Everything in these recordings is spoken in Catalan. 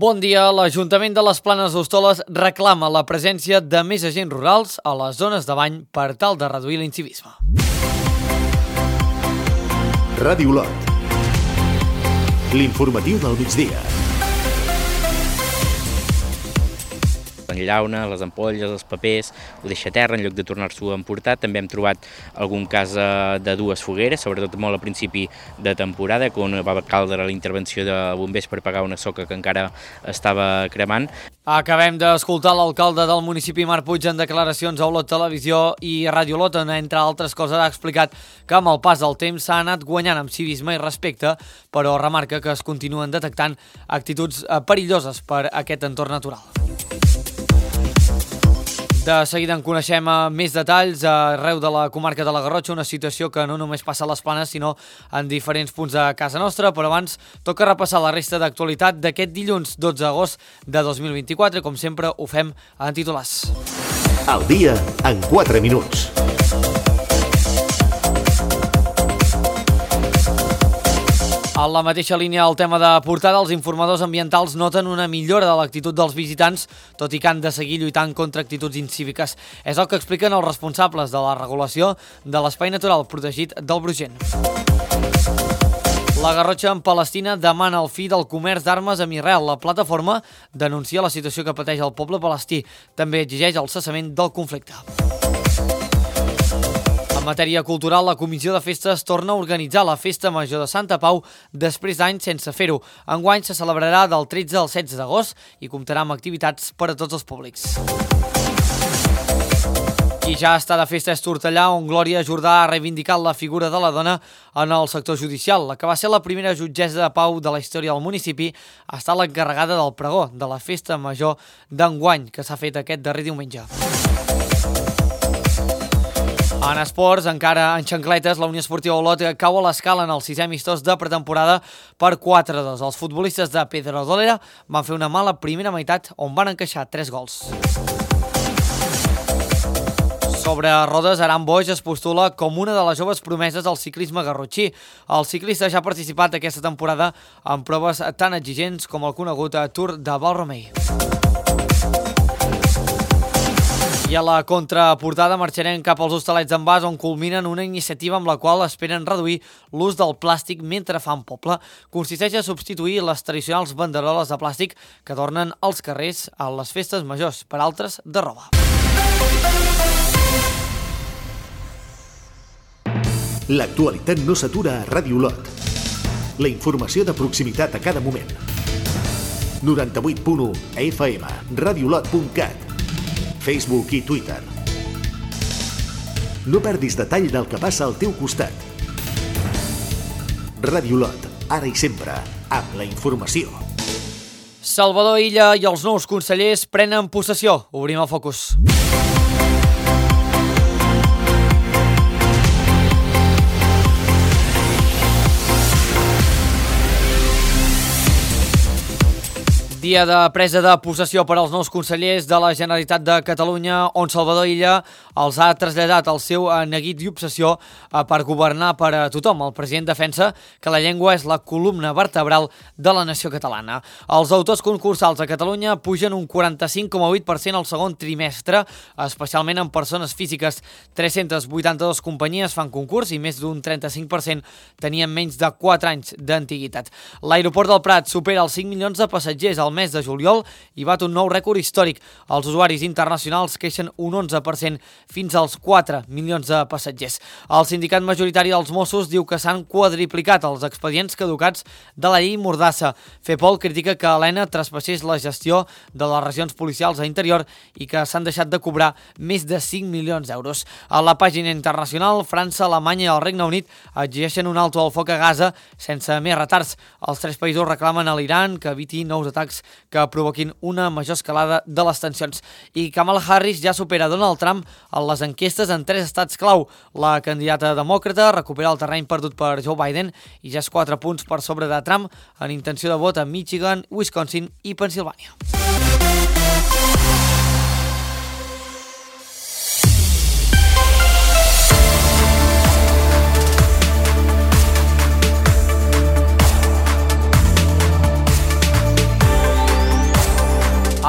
Bon dia. L'Ajuntament de les Planes d'Hostoles reclama la presència de més agents rurals a les zones de bany per tal de reduir l'incivisme. Ràdio Lot. L'informatiu del migdia. Enllauna, les ampolles, els papers, ho deixa a terra en lloc de tornar-s'ho a emportar. També hem trobat algun cas de dues fogueres, sobretot molt a principi de temporada, quan va caldre la intervenció de bombers per apagar una soca que encara estava cremant. Acabem d'escoltar l'alcalde del municipi, Marc Puig, en declaracions a Olot Televisió i Ràdio Lot, on, entre altres coses, ha explicat que amb el pas del temps s'ha anat guanyant amb civisme i respecte, però remarca que es continuen detectant actituds perilloses per aquest entorn natural. De seguida en coneixem més detalls arreu de la comarca de la Garrotxa, una situació que no només passa a les Planes, sinó en diferents punts de casa nostra, però abans toca repassar la resta d'actualitat d'aquest dilluns 12 d'agost de 2024, com sempre ho fem en titulars. El dia en 4 minuts. A la mateixa línia, el tema de portada, els informadors ambientals noten una millora de l'actitud dels visitants, tot i que han de seguir lluitant contra actituds incíviques. És el que expliquen els responsables de la regulació de l'espai natural protegit del Brugent. La Garrotxa en Palestina demana el fi del comerç d'armes amb Israel. La plataforma denuncia la situació que pateix el poble palestí. També exigeix el cessament del conflicte. En matèria cultural, la Comissió de Festes torna a organitzar la Festa Major de Santa Pau després d'anys sense fer-ho. Enguany se celebrarà del 13 al 16 d'agost i comptarà amb activitats per a tots els públics. I ja està de festa és Tortellà, on Glòria Jordà ha reivindicat la figura de la dona en el sector judicial. La que va ser la primera jutgessa de pau de la història del municipi ha estat l'encarregada del pregó de la Festa Major d'enguany, que s'ha fet aquest darrer diumenge. En esports, encara en xancletes, la Unió Esportiva Olot cau a l'escala en el 6è amistós de pretemporada per 4-2. Els futbolistes de Pedrodolera van fer una mala primera meitat on van encaixar 3 gols. Sobre rodes, Aran Boix es postula com una de les joves promeses del ciclisme garrotxí. El ciclista ja ha participat aquesta temporada en proves tan exigents com el conegut Tour de Valromei. I a la contraportada marxarem cap als Hostalets d'en Bas, on culminen una iniciativa amb la qual esperen reduir l'ús del plàstic mentre fan poble. Consisteix a substituir les tradicionals banderoles de plàstic que adornen els carrers a les festes majors per altres de roba. L'actualitat no s'atura a Ràdio Lot. La informació de proximitat a cada moment. 98.1 FM, radiolot.cat, Facebook i Twitter. No perdis detall del que passa al teu costat. Ràdio Lot, ara i sempre, amb la informació. Salvador Illa i els nous consellers prenen possessió. Obrim el focus. Dia de presa de possessió per als nous consellers de la Generalitat de Catalunya, on Salvador Illa els ha traslladat el seu neguit i obsessió per governar per a tothom. El president defensa que la llengua és la columna vertebral de la nació catalana. Els autors concursals a Catalunya pugen un 45,8% al segon trimestre, especialment en persones físiques. 382 companyies fan concurs i més d'un 35% tenien menys de 4 anys d'antiguitat. L'aeroport del Prat supera els 5 milions de passatgers al mes de juliol i bat un nou rècord històric. Els usuaris internacionals creixen un 11% fins als 4 milions de passatgers. El sindicat majoritari dels Mossos diu que s'han quadriplicat els expedients caducats de la llei Mordassa. FEPOL critica que Helena traspassés la gestió de les regions policials a interior i que s'han deixat de cobrar més de 5 milions d'euros. A la pàgina internacional, França, Alemanya i el Regne Unit exigeixen un alto al foc a Gaza sense més retards. Els 3 països reclamen a l'Iran que eviti nous atacs que provoquin una major escalada de les tensions. I Kamala Harris ja supera Donald Trump en les enquestes en 3 estats clau. La candidata demòcrata recupera el terreny perdut per Joe Biden i ja és 4 punts per sobre de Trump en intenció de vot a Michigan, Wisconsin i Pennsilvània.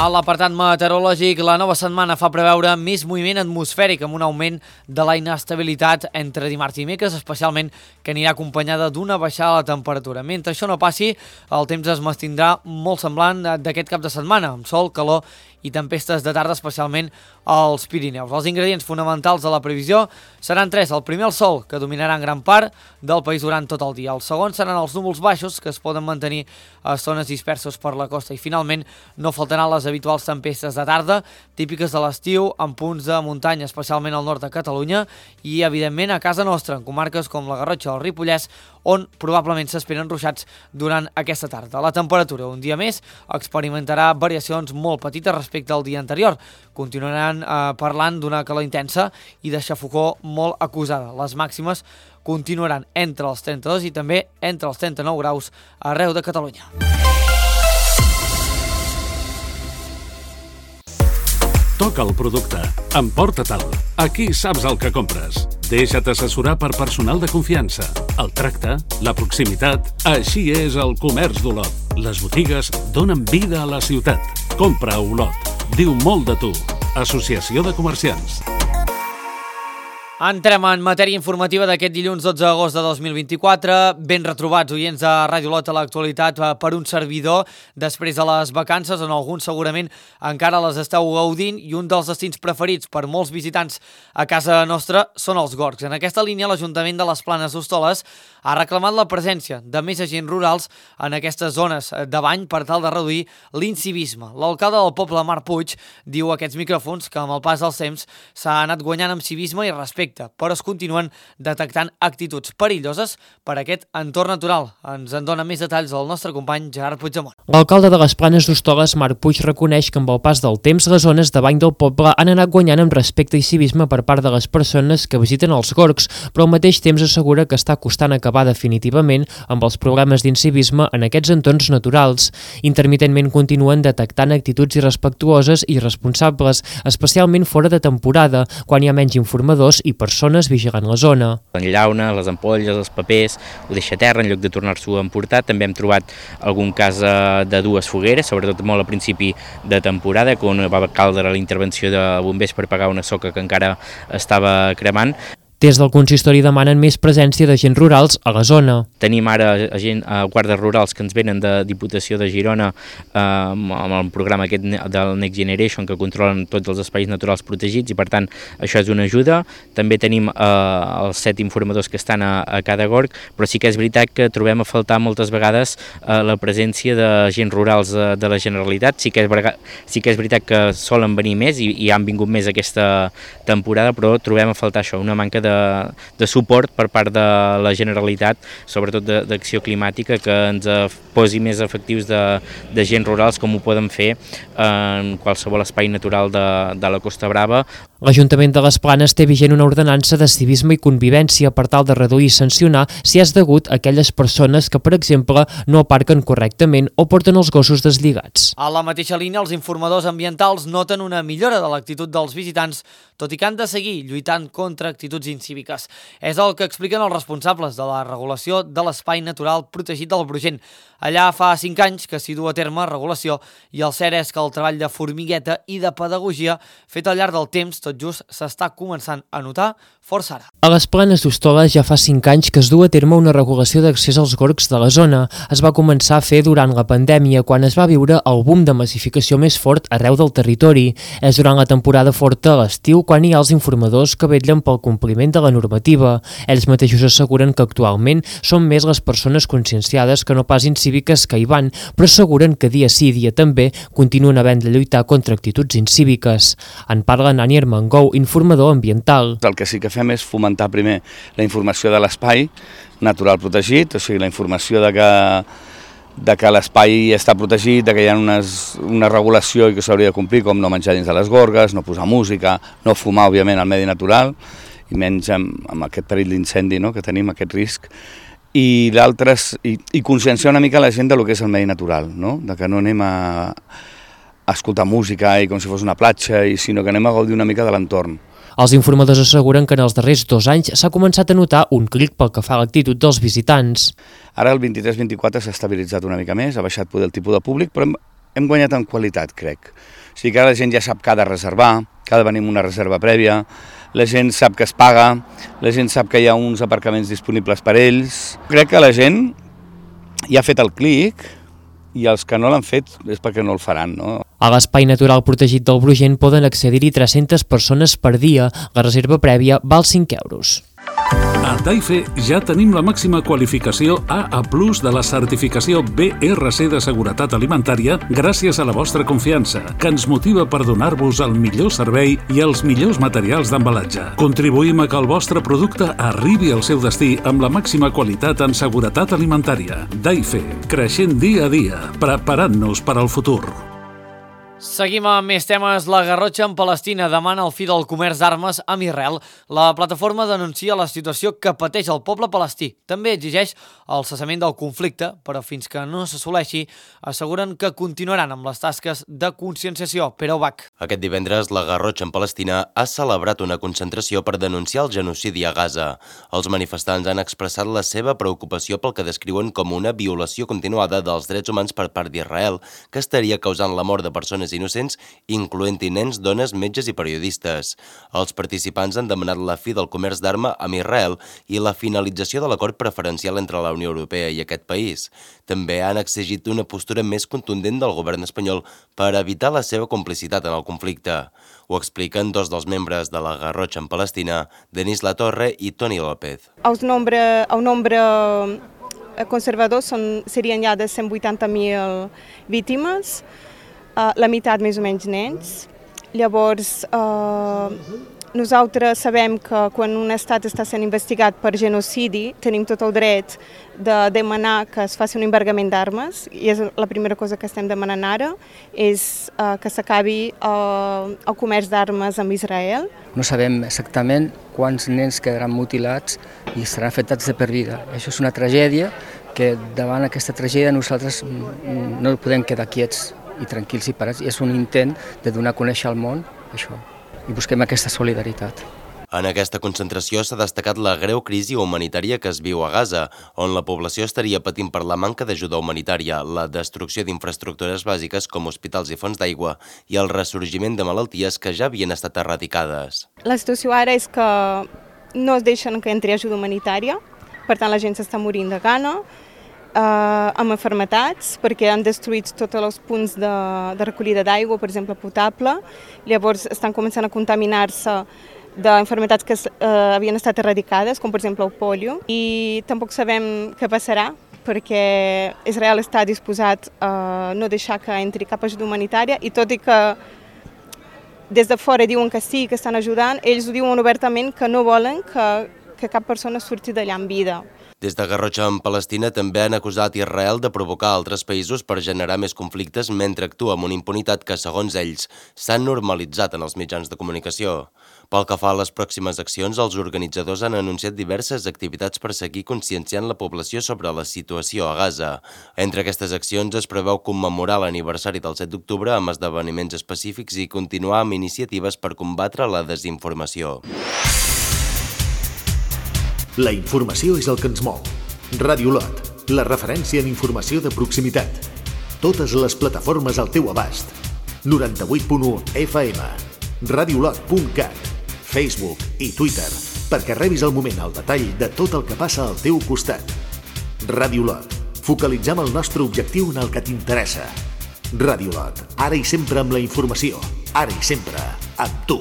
A l'apartat meteorològic, la nova setmana fa preveure més moviment atmosfèric amb un augment de la inestabilitat entre dimarts i dimecres, especialment que anirà acompanyada d'una baixada de la temperatura. Mentre això no passi, el temps es mantindrà molt semblant d'aquest cap de setmana, amb sol, calor i tempestes de tarda, especialment als Pirineus. Els ingredients fonamentals de la previsió seran tres. El primer, el sol, que dominarà en gran part del país durant tot el dia. El segon seran els núvols baixos, que es poden mantenir a zones dispersos per la costa. I finalment, no faltaran les habituals tempestes de tarda, típiques de l'estiu, en punts de muntanya, especialment al nord de Catalunya, i evidentment a casa nostra, en comarques com la Garrotxa o el Ripollès, on probablement s'esperen ruixats durant aquesta tarda. La temperatura, un dia més, experimentarà variacions molt petites respecte al dia anterior. Continuaran parlant d'una calor intensa i de xafogor molt acusada. Les màximes continuaran entre els 32 i també entre els 39 graus arreu de Catalunya. Toca el producte. Emporta-te'l. Aquí saps el que compres. Deixa't assessorar per personal de confiança. El tracte, la proximitat... Així és el comerç d'Olot. Les botigues donen vida a la ciutat. Compra a Olot. Diu molt de tu. Associació de Comerciants. Entrem en matèria informativa d'aquest dilluns 12 d'agost de 2024. Ben retrobats, oients de Ràdio Olot, a l'actualitat per un servidor després de les vacances, on alguns segurament encara les esteu gaudint, i un dels destins preferits per molts visitants a casa nostra són els Gorgs. En aquesta línia, l'Ajuntament de les Planes d'Hostoles ha reclamat la presència de més agents rurals en aquestes zones de bany per tal de reduir l'incivisme. L'alcalde del poble, Marc Puig, diu a aquests micròfons que amb el pas dels temps s'ha anat guanyant amb civisme i respecte, però es continuen detectant actituds perilloses per aquest entorn natural. Ens en dona més detalls el nostre company Gerard Puigdemont. L'alcalde de les Planes d'Hostoles, Marc Puig, reconeix que amb el pas del temps les zones de bany del poble han anat guanyant amb respecte i civisme per part de les persones que visiten els Gorgs, però al mateix temps assegura que està costant acabar definitivament amb els problemes d'incivisme en aquests entorns naturals. Intermitentment continuen detectant actituds irrespectuoses i irresponsables, especialment fora de temporada, quan hi ha menys informadors i persones vigilant la zona. Enllauna, les ampolles, els papers, ho deixa a terra en lloc de tornar-s'ho a emportar. També hem trobat algun cas de dues fogueres, sobretot molt al principi de temporada, quan va caldre la intervenció de bombers per apagar una soca que encara estava cremant. Des del consistori demanen més presència d'agents rurals a la zona. Tenim ara guardes rurals que ens venen de Diputació de Girona amb el programa aquest del Next Generation, que controlen tots els espais naturals protegits, i per tant això és una ajuda. També tenim els 7 informadors que estan a cada gorg, però sí que és veritat que trobem a faltar moltes vegades la presència d'agents rurals de la Generalitat. Sí que és veritat que solen venir més i han vingut més aquesta temporada, però trobem a faltar això, una manca de suport per part de la Generalitat, sobretot d'acció climàtica, que ens posi més efectius d'agents rurals, com ho poden fer en qualsevol espai natural de la Costa Brava. L'Ajuntament de les Planes té vigent una ordenança de civisme i convivència per tal de reduir i sancionar si és degut a aquelles persones que, per exemple, no aparquen correctament o porten els gossos deslligats. A la mateixa línia, els informadors ambientals noten una millora de l'actitud dels visitants, tot i que han de seguir lluitant contra actituds incíviques. És el que expliquen els responsables de la regulació de l'espai natural protegit del Brugent. Allà fa 5 anys que s'hi du a terme regulació, i el cert és que el treball de formigueta i de pedagogia fet al llarg del temps tot just s'està començant a notar força ara. A les Planes d'Hostoles ja fa 5 anys que es du a terme una regulació d'accés als gorgs de la zona. Es va començar a fer durant la pandèmia, quan es va viure el boom de massificació més fort arreu del territori. És durant la temporada forta, a l'estiu, quan hi ha els informadors que vetllen pel compliment de la normativa. Ells mateixos asseguren que actualment són més les persones conscienciades que no pas incíviques que hi van, però asseguren que dia sí dia també continuen havent de lluitar contra actituds incíviques. En parla Nani Armengou, informador ambiental. El que sí que fem és fomentar primer la informació de l'espai natural protegit, o sigui, la informació de que l'espai està protegit, de que hi ha una regulació i que s'hauria de complir, com no menjar dins de les gorgues, no posar música, no fumar, òbviament, al medi natural, i menys amb aquest perill d'incendi, no?, que tenim, aquest risc. I l'altre és conscienciar una mica la gent del que és el medi natural, no?, de que no anem a escoltar música i com si fos una platja, sinó que anem a gaudir una mica de l'entorn. Els informadors asseguren que en els darrers 2 anys s'ha començat a notar un clic pel que fa a l'actitud dels visitants. Ara el 23-24 s'ha estabilitzat una mica més, ha baixat poder el tipus de públic, però hem guanyat en qualitat, crec. O sigui que ara la gent ja sap que ha de reservar, que ha de venir amb una reserva prèvia, la gent sap que es paga, la gent sap que hi ha uns aparcaments disponibles per ells. Crec que la gent ja ha fet el clic i els que no l'han fet és perquè no el faran, no? A l'Espai Natural Protegit del Brugent poden accedir-hi 300 persones per dia. La reserva prèvia val 5 euros. A Taife ja tenim la màxima qualificació AA+ de la certificació BRC de seguretat alimentària gràcies a la vostra confiança, que ens motiva per donar-vos el millor servei i els millors materials d'embalatge. Contribuïm a que el vostre producte arribi al seu destí amb la màxima qualitat en seguretat alimentària. Taife, creixent dia a dia, preparant-nos per al futur. Seguim amb més temes. La Garrotxa en Palestina demana el fi del comerç d'armes amb Israel. La plataforma denuncia la situació que pateix el poble palestí. També exigeix el cessament del conflicte, però fins que no s'assoleixi, asseguren que continuaran amb les tasques de conscienciació. Pere Ubach. Aquest divendres, la Garrotxa en Palestina ha celebrat una concentració per denunciar el genocidi a Gaza. Els manifestants han expressat la seva preocupació pel que descriuen com una violació continuada dels drets humans per part d'Israel, que estaria causant la mort de persones innocents, incloent-hi nens, dones, metges i periodistes. Els participants han demanat la fi del comerç d'arma amb Israel i la finalització de l'acord preferencial entre la Unió Europea i aquest país. També han exigit una postura més contundent del govern espanyol per evitar la seva complicitat en el conflicte. Ho expliquen dos dels membres de la Garrotxa en Palestina, Denis Latorre i Toni López. El nombre conservador serien ja de 180.000 víctimes, la meitat més o menys nens. Llavors, nosaltres sabem que quan un estat està sent investigat per genocidi, tenim tot el dret de demanar que es faci un embargament d'armes, i és la primera cosa que estem demanant ara, és que s'acabi el comerç d'armes amb Israel. No sabem exactament quants nens quedaran mutilats i seran afectats de per vida. Això és una tragèdia que davant aquesta tragèdia nosaltres no podem quedar quiets i tranquils i parats, i és un intent de donar a conèixer al món això, i busquem aquesta solidaritat. En aquesta concentració s'ha destacat la greu crisi humanitària que es viu a Gaza, on la població estaria patint per la manca d'ajuda humanitària, la destrucció d'infraestructures bàsiques com hospitals i fonts d'aigua i el ressorgiment de malalties que ja havien estat erradicades. La situació ara és que no es deixen que entri ajuda humanitària, per tant la gent s'està morint de gana, amb malalties, perquè han destruït tots els punts de recollida d'aigua, per exemple, potable. Llavors estan començant a contaminar-se d'malalties que havien estat erradicades, com per exemple el polio. I tampoc sabem què passarà, perquè Israel està disposat a no deixar que entri cap ajuda humanitària, i tot i que des de fora diuen que sí, que estan ajudant, ells ho diuen obertament que no volen que cap persona surti d'allà en vida. Des de Garrotxa en Palestina també han acusat Israel de provocar altres països per generar més conflictes mentre actua amb una impunitat que, segons ells, s'ha normalitzat en els mitjans de comunicació. Pel que fa a les pròximes accions, els organitzadors han anunciat diverses activitats per seguir conscienciant la població sobre la situació a Gaza. Entre aquestes accions es preveu commemorar l'aniversari del 7 d'octubre amb esdeveniments específics i continuar amb iniciatives per combatre la desinformació. La informació és el que ens mou. Ràdio Lot, la referència en informació de proximitat. Totes les plataformes al teu abast. 98.1 FM, radiolot.cat, Facebook i Twitter, perquè rebis al moment el detall de tot el que passa al teu costat. Ràdio Lot, focalitzem el nostre objectiu en el que t'interessa. Ràdio Lot, ara i sempre amb la informació, ara i sempre amb tu.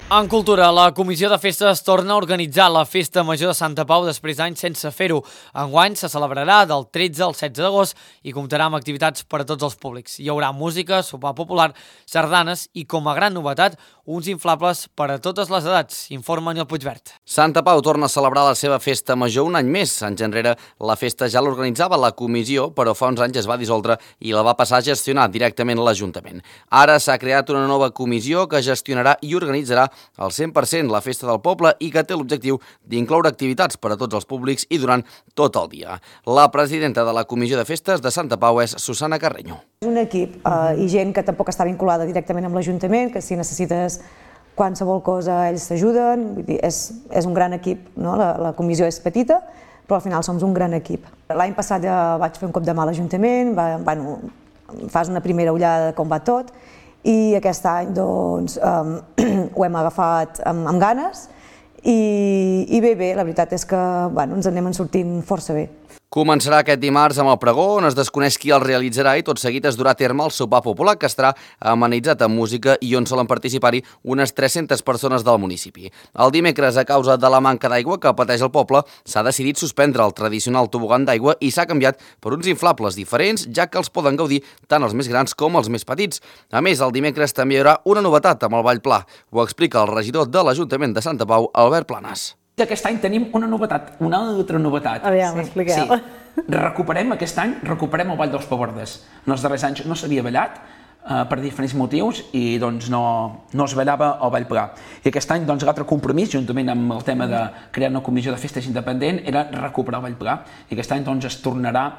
En cultura, la Comissió de Festes torna a organitzar la Festa Major de Santa Pau després d'anys sense fer-ho. Enguany se celebrarà del 13 al 16 d'agost i comptarà amb activitats per a tots els públics. Hi haurà música, sopar popular, sardanes i, com a gran novetat, uns inflables per a totes les edats, informa Nil Puigvert. Santa Pau torna a celebrar la seva Festa Major un any més. Anys enrere la festa ja l'organitzava la comissió, però fa uns anys es va dissoldre i la va passar a gestionar directament l'Ajuntament. Ara s'ha creat una nova comissió que gestionarà i organitzarà al 100% la festa del poble i que té l'objectiu d'incloure activitats per a tots els públics i durant tot el dia. La presidenta de la Comissió de Festes de Santa Pau és Susana Carreño. És un equip i gent que tampoc està vinculada directament amb l'Ajuntament, que si necessites qualsevol cosa ells t'ajuden, és un gran equip, no? La comissió és petita, però al final som un gran equip. L'any passat ja vaig fer un cop de mà a l'Ajuntament, fas una primera ullada de com va tot, i aquest any doncs, ho hem agafat amb ganes i bé, la veritat és que ens anem sortint força bé. Començarà aquest dimarts amb el pregó, on es desconeix qui el realitzarà i tot seguit es durà a terme el sopar popular, que estarà amenitzat amb música i on solen participar-hi unes 300 persones del municipi. El dimecres, a causa de la manca d'aigua que pateix el poble, s'ha decidit suspendre el tradicional tobogan d'aigua i s'ha canviat per uns inflables diferents, ja que els poden gaudir tant els més grans com els més petits. A més, el dimecres també hi haurà una novetat amb el Ball Pla. Ho explica el regidor de l'Ajuntament de Santa Pau, Albert Planas. Aquest any tenim una novetat, una altra novetat. Aviam, expliqueu. Sí. Aquest any recuperem el Ball dels Pavordes. En els darrers anys no s'havia ballat per diferents motius i doncs no es ballava el Ball Pla. I aquest any l'altre compromís, juntament amb el tema de crear una comissió de festes independent, era recuperar el Ball Pla. I aquest any es tornarà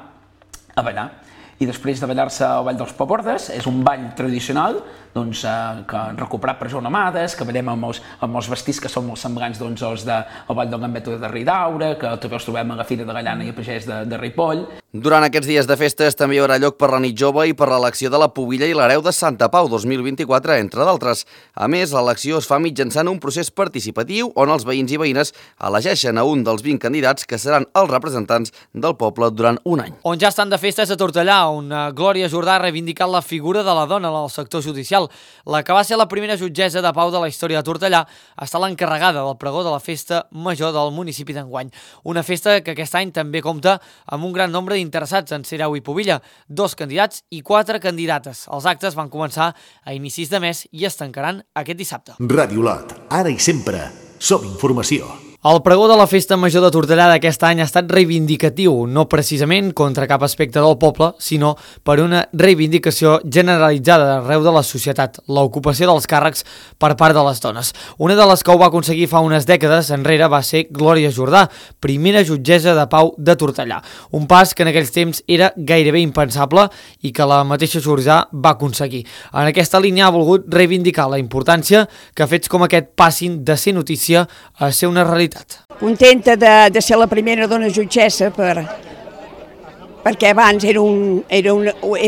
a ballar. I després de ballar-se el Ball dels Pavordes, és un ball tradicional que recuperat per Joan Amades, que ballem amb els vestits que són molt semblants als del Ball del Gambeto de Ridaura, que també els trobem a la Fira de Gallana i a Pagès de Ripoll. Durant aquests dies de festes també hi haurà lloc per la nit jove i per l'elecció de la pubilla i l'hereu de Santa Pau 2024, entre d'altres. A més, l'elecció es fa mitjançant un procés participatiu on els veïns i veïnes elegeixen a un dels 20 candidats que seran els representants del poble durant un any. On ja estan de festes a Tortellà, on Glòria Jordà ha reivindicat la figura de la dona en el sector judicial. La que va ser la primera jutgessa de pau de la història de Tortellà està l'encarregada del pregó de la festa major del municipi d'enguany. Una festa que aquest any també compta amb un gran nombre d'interessats en ser hereu i pubilla, 2 candidats i 4 candidates. Els actes van començar a inicis de mes i es tancaran aquest dissabte. Ràdio Lot, ara i sempre, som informació. El pregó de la Festa Major de Tortellà d'aquest any ha estat reivindicatiu, no precisament contra cap aspecte del poble, sinó per una reivindicació generalitzada arreu de la societat, l'ocupació dels càrrecs per part de les dones. Una de les que ho va aconseguir fa unes dècades enrere va ser Glòria Jordà, primera jutgessa de pau de Tortellà. Un pas que en aquells temps era gairebé impensable i que la mateixa Jordà va aconseguir. En aquesta línia ha volgut reivindicar la importància que fets com aquest passin de ser notícia a ser una realitat. Contenta de ser la primera dona jutgessa perquè abans era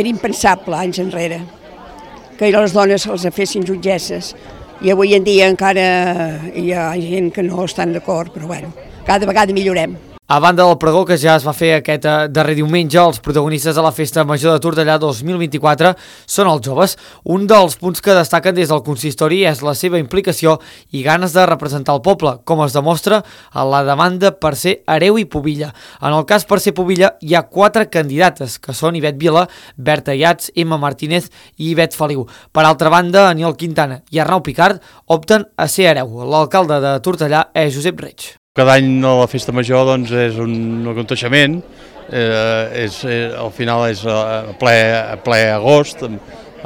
impensable anys enrere que les dones els fessin jutgesses i avui en dia encara hi ha gent que no estan d'acord, però bueno, cada vegada millorem. A banda del pregó que ja es va fer aquest darrer diumenge, els protagonistes de la Festa Major de Tortellà 2024 són els joves. Un dels punts que destaquen des del consistori és la seva implicació i ganes de representar el poble, com es demostra a la demanda per ser hereu i pubilla. En el cas per ser pubilla hi ha 4 candidates, que són Ivet Vila, Berta Iats, Emma Martínez i Ivet Feliu. Per altra banda, Aniol Quintana i Arnau Picard opten a ser hereu. L'alcalde de Tortellà és Josep Reig. Cada any la Festa Major és un aconteixement, al final és a ple agost,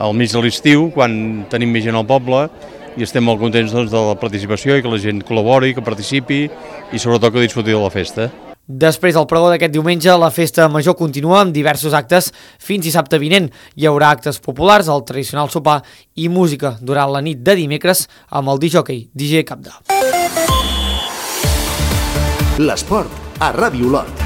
al mig de l'estiu, quan tenim més gent al poble, i estem molt contents de la participació i que la gent col·labori, que participi i sobretot que disfruti de la festa. Després del pregó d'aquest diumenge, la Festa Major continua amb diversos actes fins dissabte vinent. Hi haurà actes populars, el tradicional sopar i música durant la nit de dimecres amb el discjòquei DJ Capda. L'esport a Ràdio Lot.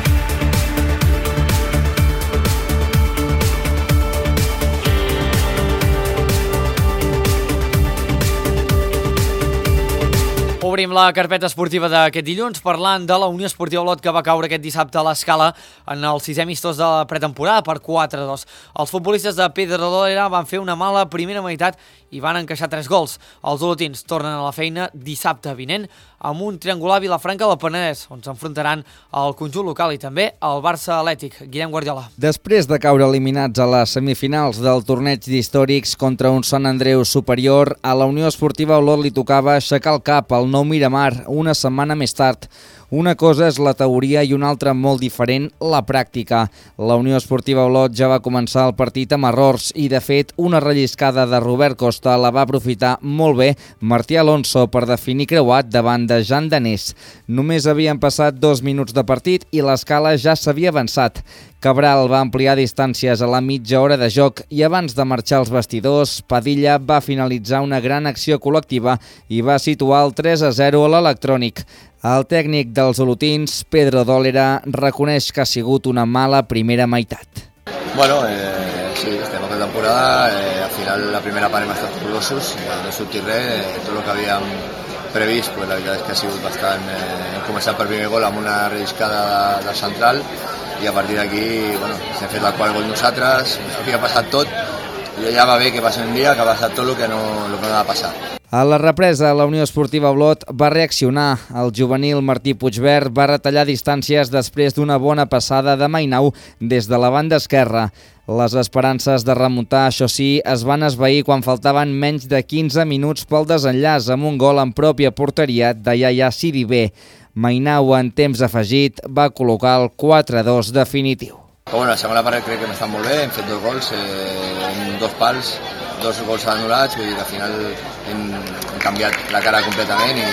Obrim la carpeta esportiva d'aquest dilluns parlant de la Unió Esportiva Olot, que va caure aquest dissabte a l'Escala en el 6è amistós de la pretemporada per 4-2. Els futbolistes de Pedrolera van fer una mala primera meitat i van encaixar 3 gols. Els olotins tornen a la feina dissabte vinent amb un triangular a Vilafranca del Penedès, on s'enfrontaran al conjunt local i també al Barça Atlètic. Guillem Guardiola. Després de caure eliminats a les semifinals del torneig d'històrics contra un Sant Andreu superior, a la Unió Esportiva Olot li tocava aixecar el cap al Nou Miramar una setmana més tard. Una cosa és la teoria i una altra molt diferent, la pràctica. La Unió Esportiva Olot ja va començar el partit amb errors i, de fet, una relliscada de Robert Costa la va aprofitar molt bé Martí Alonso per definir creuat davant de Jan Danés. Només havien passat 2 minuts de partit i l'Escala ja s'havia avançat. Cabral va ampliar distàncies a la mitja hora de joc i abans de marxar als vestidors, Padilla va finalitzar una gran acció col·lectiva i va situar el 3-0 a l'Electrònic. El tècnic dels olotins, Pedro Dólera, reconeix que ha sigut una mala primera meitat. Bueno, sí, estem a temporada, al final la primera part hem estat orgullosos, no ha sortit res, tot el que havíem previst, pues, la veritat és que ha sigut bastant... hem començat per primer gol amb una relliscada de central i a partir d'aquí, bueno, hem fet el quart gol nosaltres, havia passat tot i ja va bé que passi un dia que ha passat tot el que no ha de passar. A la represa, la Unió Esportiva Olot va reaccionar. El juvenil Martí Puigvert va retallar distàncies després d'una bona passada de Mainau des de la banda esquerra. Les esperances de remuntar, això sí, es van esvair quan faltaven menys de 15 minuts pel desenllaç amb un gol en pròpia porteria de Yaya Sidibé. Mainau, en temps afegit, va col·locar el 4-2 definitiu. Bueno, la segona part crec que hem estat molt bé, hem fet 2 gols, en 2 pals, 2 gols anul·lats, vull dir que al final hem canviat la cara completament i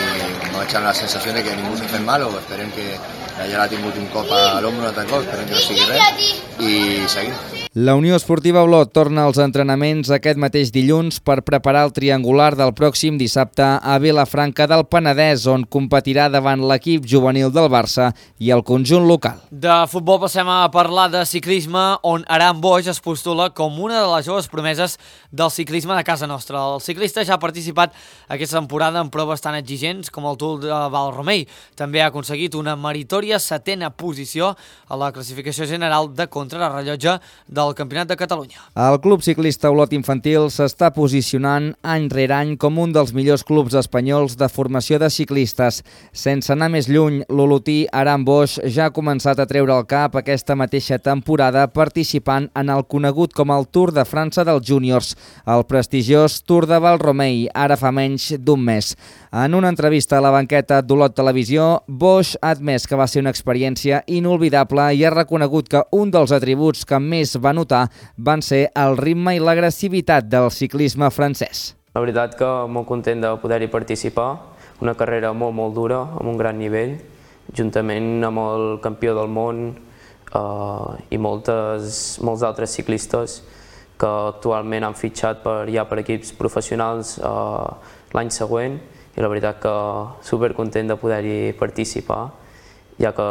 m'ha deixat la sensació de que ningú s'ha fet mal, o esperem que ja l'ha tingut un cop a l'ombro, un altre cop, esperem que no sigui res, i seguim. La Unió Esportiva Olot torna als entrenaments aquest mateix dilluns per preparar el triangular del pròxim dissabte a Vilafranca del Penedès, on competirà davant l'equip juvenil del Barça i el conjunt local. De futbol passem a parlar de ciclisme, on Aran Boix es postula com una de les joves promeses del ciclisme de casa nostra. El ciclista ja ha participat aquesta temporada en proves tan exigents com el Tour de Valromei. També ha aconseguit una meritòria 7a posició a la classificació general de contrarrellotge del Campionat de Catalunya. El Club Ciclista Olot Infantil s'està posicionant any rere any com un dels millors clubs espanyols de formació de ciclistes. Sense anar més lluny, l'olotí Aran Boix ja ha començat a treure el cap aquesta mateixa temporada participant en el conegut com el Tour de França dels Júniors, el prestigiós Tour de Valromei, ara fa menys d'un mes. En una entrevista a la banqueta d'Olot Televisió, Boix ha admès que va ser una experiència inolvidable i ha reconegut que un dels atributs que més va notar van ser el ritme i l'agressivitat del ciclisme francès. La veritat que molt content de poder-hi participar, una carrera molt dura, amb un gran nivell, juntament amb el campió del món i molts altres ciclistes que actualment han fitxat per equips professionals l'any següent, i la veritat que supercontent de poder-hi participar, ja que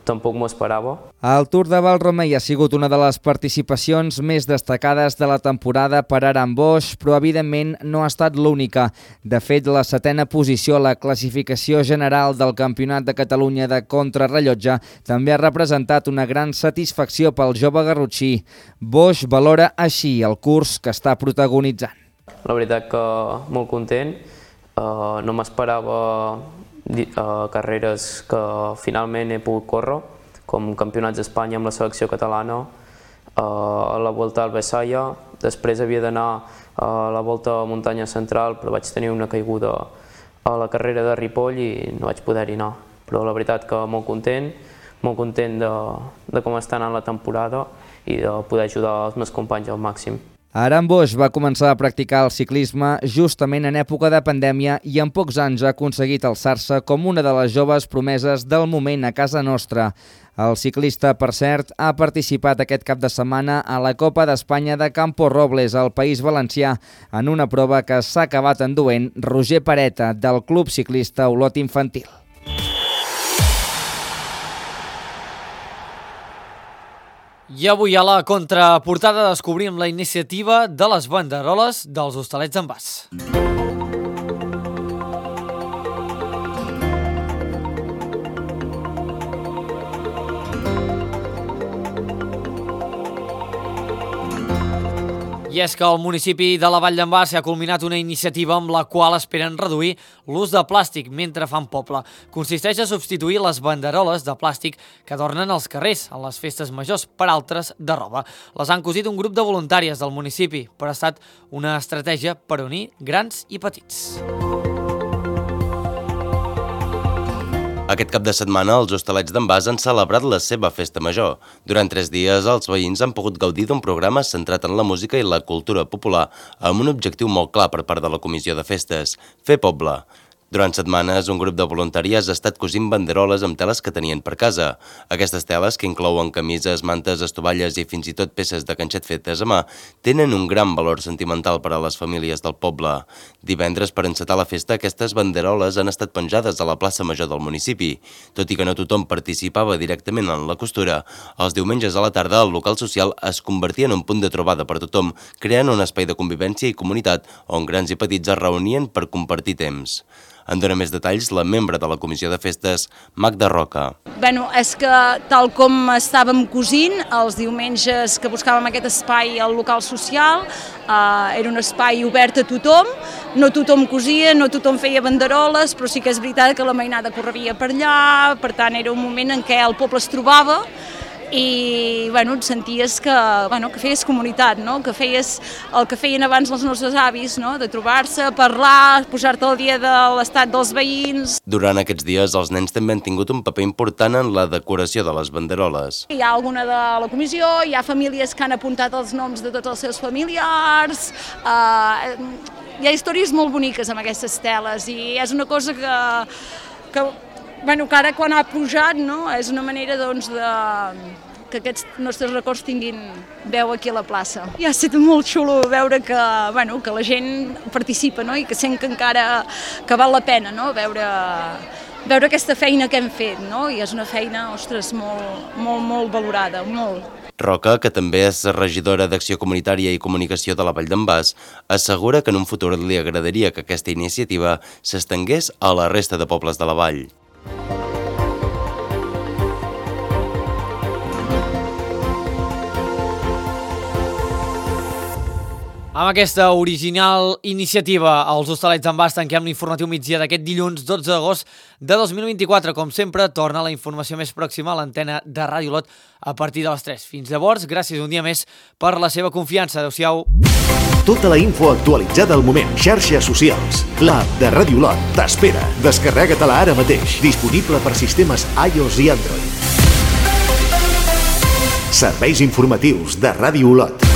tampoc m'ho esperava. El Tour de Valromei ha sigut una de les participacions més destacades de la temporada per Aran Boix, però evidentment no ha estat l'única. De fet, la 7a posició a la classificació general del Campionat de Catalunya de contrarrellotge també ha representat una gran satisfacció pel jove garrotxí. Boix valora així el curs que està protagonitzant. La veritat que molt content, no m'esperava carreres que finalment he pogut córrer, com campionats d'Espanya amb la selecció catalana, a la Volta al Besaya, després havia d'anar a la Volta a Muntanya Central, però vaig tenir una caiguda a la carrera de Ripoll i no vaig poder-hi anar. Però la veritat que molt content de com està anant la temporada i de poder ajudar els meus companys al màxim. Aran Boix va començar a practicar el ciclisme justament en època de pandèmia i en pocs anys ha aconseguit alçar-se com una de les joves promeses del moment a casa nostra. El ciclista, per cert, ha participat aquest cap de setmana a la Copa d'Espanya de Campo Robles, al País Valencià, en una prova que s'ha acabat enduent Roger Pareta, del Club Ciclista Olot Infantil. I avui a la contraportada descobrim la iniciativa de les banderoles dels Hostalets d'en Bas. I és que al municipi de la Vall d'en Bas s'ha culminat una iniciativa amb la qual esperen reduir l'ús de plàstic mentre fan poble. Consisteix a substituir les banderoles de plàstic que adornen els carrers en les festes majors per altres de roba. Les han cosit un grup de voluntàries del municipi, però ha estat una estratègia per unir grans i petits. Aquest cap de setmana, els Hostalets d'en Bas han celebrat la seva festa major. Durant 3 dies, els veïns han pogut gaudir d'un programa centrat en la música i la cultura popular, amb un objectiu molt clar per part de la Comissió de Festes: fer poble. Durant setmanes, un grup de voluntàries ha estat cosint banderoles amb teles que tenien per casa. Aquestes teles, que inclouen camises, mantes, estovalles i fins i tot peces de canxet fetes a mà, tenen un gran valor sentimental per a les famílies del poble. Divendres, per encetar la festa, aquestes banderoles han estat penjades a la plaça Major del municipi. Tot i que no tothom participava directament en la costura, els diumenges a la tarda el local social es convertia en un punt de trobada per tothom, creant un espai de convivència i comunitat on grans i petits es reunien per compartir temps. En dona més detalls la membre de la Comissió de Festes, Magda Roca. És que tal com estàvem cosint, els diumenges que buscàvem aquest espai al local social, era un espai obert a tothom, no tothom cosia, no tothom feia banderoles, però sí que és veritat que la mainada correria per allà, per tant era un moment en què el poble es trobava i et senties que feies comunitat, que feies el que feien abans els nostres avis, de trobar-se, parlar, posar-te al dia de l'estat dels veïns. Durant aquests dies, els nens també han tingut un paper important en la decoració de les banderoles. Hi ha alguna de la comissió, hi ha famílies que han apuntat els noms de tots els seus familiars, hi ha històries molt boniques amb aquestes teles i és una cosa que ara quan ha pujat és una manera que aquests nostres records tinguin veu aquí a la plaça. I ha estat molt xulo veure que la gent participa i que sent que encara que val la pena veure aquesta feina que hem fet i és una feina, ostres, molt valorada, molt. Roca, que també és regidora d'Acció Comunitària i Comunicació de la Vall d'en Bas, assegura que en un futur li agradaria que aquesta iniciativa s'estengués a la resta de pobles de la vall. Amb aquesta original iniciativa, els Hostalets d'en Bas tanquem l'informatiu migdia d'aquest dilluns 12 d'agost de 2024. Com sempre, torna la informació més pròxima a l'antena de Ràdio Olot a partir de les 3. Fins llavors, gràcies un dia més per la seva confiança. Adéu-siau. Tota la info actualitzada al moment. Xarxes socials. L'app de Ràdio Olot t'espera. Descarrega-te-la ara mateix. Disponible per sistemes iOS i Android. Serveis informatius de Ràdio Olot.